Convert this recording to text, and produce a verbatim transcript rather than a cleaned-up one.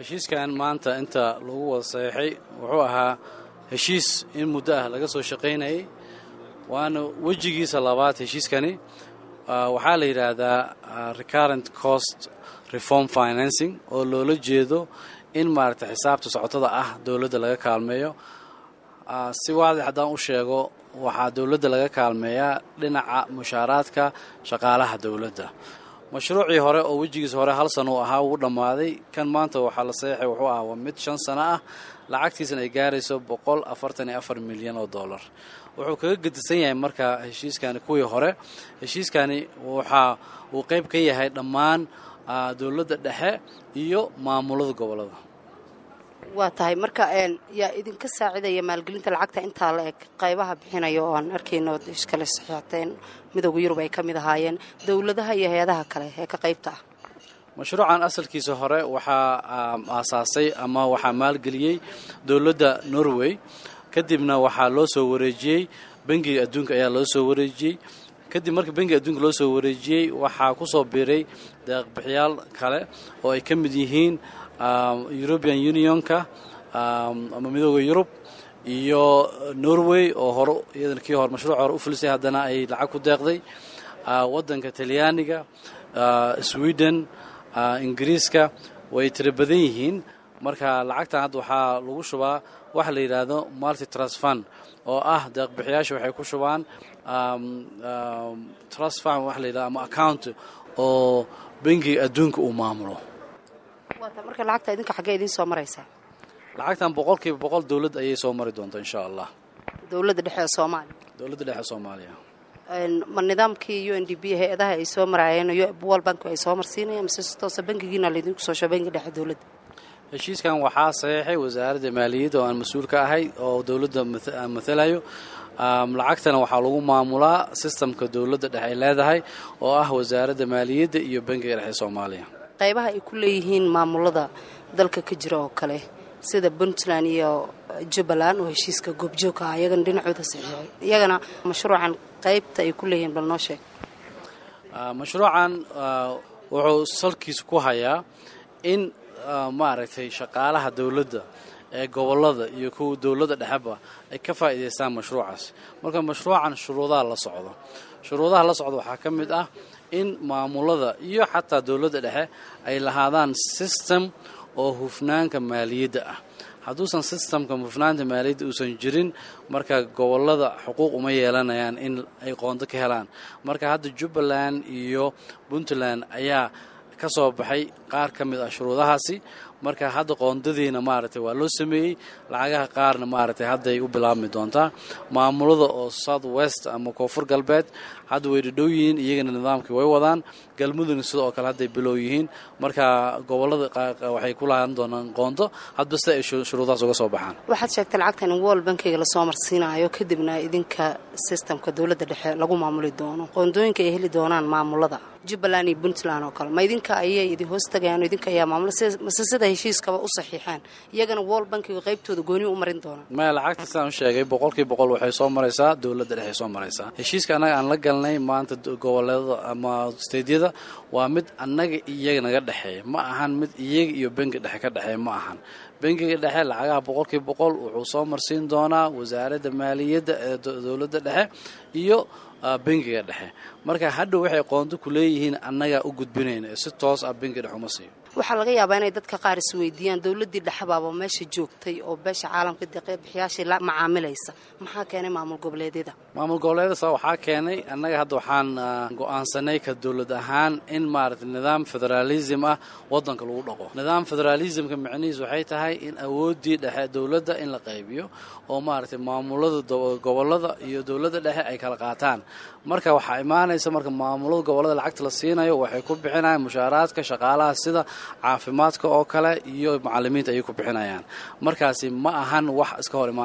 Heshiiskan maanta inta lagu wada saxiixay wuxuu ahaa heshiis in muddo ah laga soo shaqaynayay, waana wejigiisa labaad. Heshiiskani waxaa la yidhaahdaa Recurrent Cost Reform Financing, oo loola jeedo in maaragtay xisaabta socotada ah dowladda laga kaalmeeyo. Si waadix haddaan u sheego, waxaa dowladda laga kaalmeeyaa dhinaca mushaaraadka shaqaalaha dowladda. Mashruucii hore oo wejigiisa hore hal sano uu ahaa wuu dhammaaday. Kan maanta waxaa la saxiixay wuxuu ahaa waa mid shan sano ah, lacagtiisana ay gaarayso boqol afartan iyo afar milyan oo dollar. Wuxuu kaga gedisan yahay marka heshiiskani kuwii hore, heshiiskani waxa uu qayb ka yahay dhammaan dowladda dhexe iyo maamulada gobolada. Waa tahay. Marka yaa idinka saacidaya maalgelinta lacagta intaa la eg, qaybaha bixinaya oo aan arkayno iskale saxiixateen Midowga Yurub ay ka mid ahaayeen, dowladaha iyo hay-adaha kale ee ka qaybta ah? Mashruucan asalkiisa hore waxaa aasaasay ama waxaa maalgeliyey dowladda Norway. Kadibna waxaa loo soo wareejiyey Bangiga Adduunka ayaa loo soo wareejiyey. Kadib marka Bangiga Adduunka loo soo wareejiyey, waxaa ku soo biiray deeqbixiyaal kale oo ay ka mid yihiin European Unionka ama Midooda Yurub iyo Norway oo hore iyadana kii hore mashruuca hore u fulisay, haddana ay lacag ku deeqday, waddanka Talyaaniga, Sweden, Ingiriiska. Way tiro badan yihiin. Marka lacagtan hadda waxaa lagu shubaa waxa la yidhaahdo Multi Trust Fund, oo ah deeqbixiyaasha waxay ku shubaan trust fund waxa la yidhahdo ama account oo Bangiga Adduunka uu maamulo. Marka lacagta idinka xaggee idiin soo maraysaa? Lacagtan boqolkiiba boqol dowladd ayay soo mari doontaa, insha Allah. Dowladda dhexe ee Soomaaliya? Dowladda dhexe Soomaaliya. Ma nidaamkii U N D P hay-adaha ay soo maraayeen, World Bank ay soo marsiinayaan, mise si toosa bangigiina laydinku soo sho, bangi dhexe dowladda? Heshiiskan waxaa saxiixay Wasaaradda Maaliyadda oo aan mas-uul ka ahay oo dowladda aan mathalayo. Lacagtana waxaa lagu maamulaa systemka dowladda dhexe ay leedahay, oo ah Wasaaradda Maaliyadda iyo Bangiga Dhexe Soomaaliya. Qaybaha ay ku leeyihiin maamulada dalka ka jira oo kale, sida Puntland iyo Jubbaland oo heshiiska goobjoogka ah iyagana dhinacooda saxiixay, iyagana mashruucan qaybta ay ku leeyihiin bal noo sheeg. Mashruucan wuxuu salkiisa ku hayaa in maaragtay shaqaalaha dowladda ee gobolada iyo kuwa dowladda dhexeba ay ka faa'iidaystaan mashruucaas. Marka mashruucan shuruudaha la socdo shuruudaha la socdo waxaa ka mid ah in maamulada iyo xataa dowladda dhexe ay lahaadaan system oo hufnaanka maaliyadda ah. Hadduusan systemka hufnaanta maaliyadda uusan jirin, marka gobolada xuquuq uma yeelanayaan in ay qoondo ka helaan. Marka hadda Jubbaland iyo Puntland ayaa ka soo baxay qaar ka mid ah shuruudahaasi. Marka hadda qoondadiina maaragtay waa loo sameeyey, lacagaha qaarna maaragtay hadday u bilaabmi doontaa. Maamulada oo South West ama Koonfur Galbeed hadda way dhadhow yihiin, iyagana nidaamkii way wadaan. Galmudugna sidoo kale hadday bilow yihiin. Marka gobolada waxay ku lahaan doonaan qoondo hadba sida ay shuruudahaas uga soo baxaan. Waxaad sheegtay lacagtan in World Bankiga lasoo marsiinayo, kadibna idinka systemka dowladda dhexe lagu maamuli doono. Qoondooyinka ay heli doonaan maamulada Jubbaland iyo Puntland oo kale, ma idinka ayay idin hoos tagayaan, idinka ayaa maamula, mase sida heshiiskaba u saxiixaan iyagana World Bankiga qaybtooda gooni u marin doonaan? Maya, lacagta sidaan u sheegay boqolkiiba boqol waxay soo maraysaa dowladda dhexe soo maraysaa. Heshiiska annaga aan la galnay maanta goboleedada ama stateyada waa mid annaga iyaga naga dhexeeya, ma ahan mid iyaga iyo bangi dhexe ka dhexeeya ma ahan. Bangiga dhexe lacagaha boqolkiiba boqol wuxuu soo marsiin doonaa Wasaaradda Maaliyadda ee dowladda dhexe iyo bangiga dhexe. Marka hadhow waxay qoondo ku leeyihiin annagaa u gudbinayna, si toos ah bangiga dhexe uma siiyo. Waxaa laga yaabaa inay dadka qaar isweydiiyaan, dowladdii dhexbaaba meesha joogtay oo beesha caalamka deeqbixiyaashii la macaamilaysa, maxaa keenay maamul goboleedyada? Maamul goboleedyada waxaa keenay, annaga hadda waxaan go-aansanay ka dowlad ahaan in maaragtay nidaam federaalism ah waddanka lagu dhaqo. Nidaam federaalismka micnihiis waxay tahay in awooddii dhexe dowladda in la qaybiyo oo maaragtay maamulada gobolada iyo dowladda dhexe ay kala qaataan. Marka waxaa imaanaysa, marka maamulada gobolada lacagta la siinayo waxay ku bixinayaan mushaaraadka shaqaalaha, sida caafimaadka oo kale iyo macalimiinta ayay ku bixinayaan. Markaasi ma ahan wax iska hor imaan.